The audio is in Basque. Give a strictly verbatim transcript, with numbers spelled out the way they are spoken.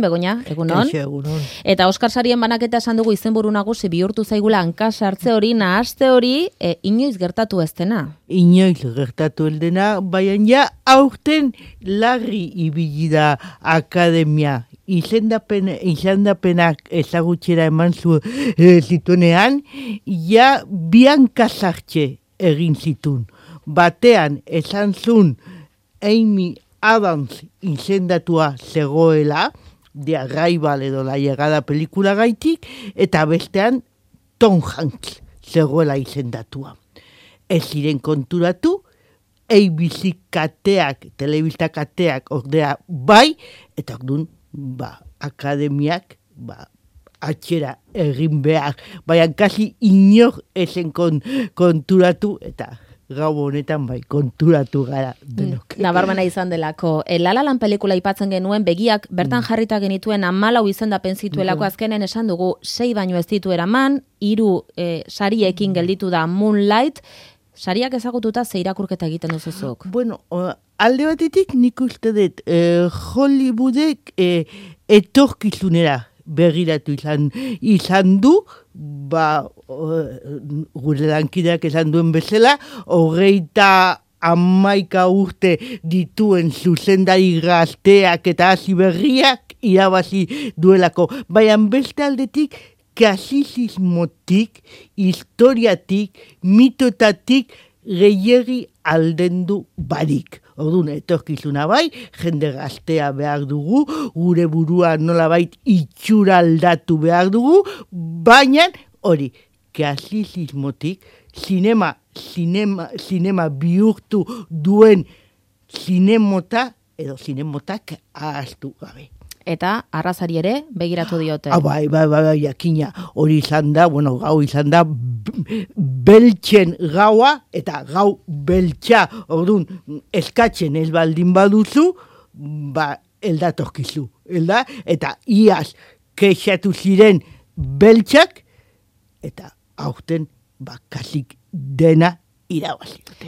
Begoña, egunon. egunon. Eta Oskar sarien banaketa esan dugu izenburu nagusi bihurtu zaigula hanka sartze hori, nahaste hori, e, inoiz gertatu ez dena. Inoiz gertatu ez dena, baina ja aurten larri ibili da akademia. Izendapen, izendapenak ezagutxera eman zu e, zituenean, ja bianka sartxe egin zitun. Batean esan zun Amy Adams izendatua zegoela, de Arrival edo La Llegada pelikula gaitik, eta bestean Tom Hanks zegoela izendatua. Ez ziren konturatu, A B C kateak, telebista kateak ordea bai, eta ordun ba, akademiak ba, atxera egin behar, baina kasi inor esen kon, konturatu, eta gau honetan bai, konturatu gara denok. Nabarmena izan delako. E, La La Land pelikula aipatzen genuen, begiak bertan jarrita genituen hamalau izendapen zituelako, azkenen esan dugu, sei baino ez ditu eraman, hiru e, sariekin gelditu da Moonlight, sariak ezagututa ze irakurketa egiten duzuzuk? Bueno, uh, alde batetik nik uste dut, eh, Hollywoodek eh, etorkizunera begiratu izan, izan du, ba, gure lankideak esan duen bezala, hogeita hamaika urte dituen zuzendari gazteak eta hasi berriak irabazi duelako. Baina beste aldetik, klasizismotik, historiatik, mitotatik, gehiegi aldendu barik. Orduan, etorkizuna bai, jende gaztea behar dugu, gure burua nolabait itxura aldatu behar dugu, baina hori, klasizismotik, sinema, sinema, sinema bihurtu duen zinemota, edo zinemotak ahaztu gabe. Eta arrazari ere begiratu diote. Ah, bai, bai, bai, bai, jakina, hori izan da, bueno, gau izan da, beltzen gaua, eta gau beltza, orduan, eskatzen ez baldin baduzu, ba, eldatorkizu, elda, eta iaz, kexatu ziren beltzak, eta aurten, ba, kasik dena irabazi.